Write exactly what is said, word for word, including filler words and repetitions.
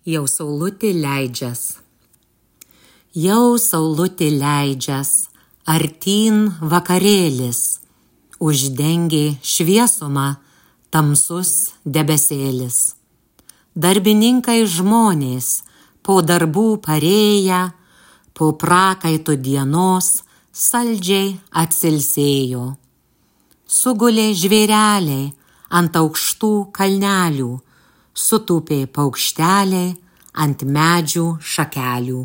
Jau saulutė leidžias. Jau saulutė leidžias, artyn vakarėlis, uždengė šviesumą tamsus debesėlis. Darbininkai žmonės, po darbų parėję, po prakaito dienos saldžiai atsilsėjo. Sugulė žvėreliai ant aukštų kalnelių, sutūpė paukšteliai ant medžių šakelių.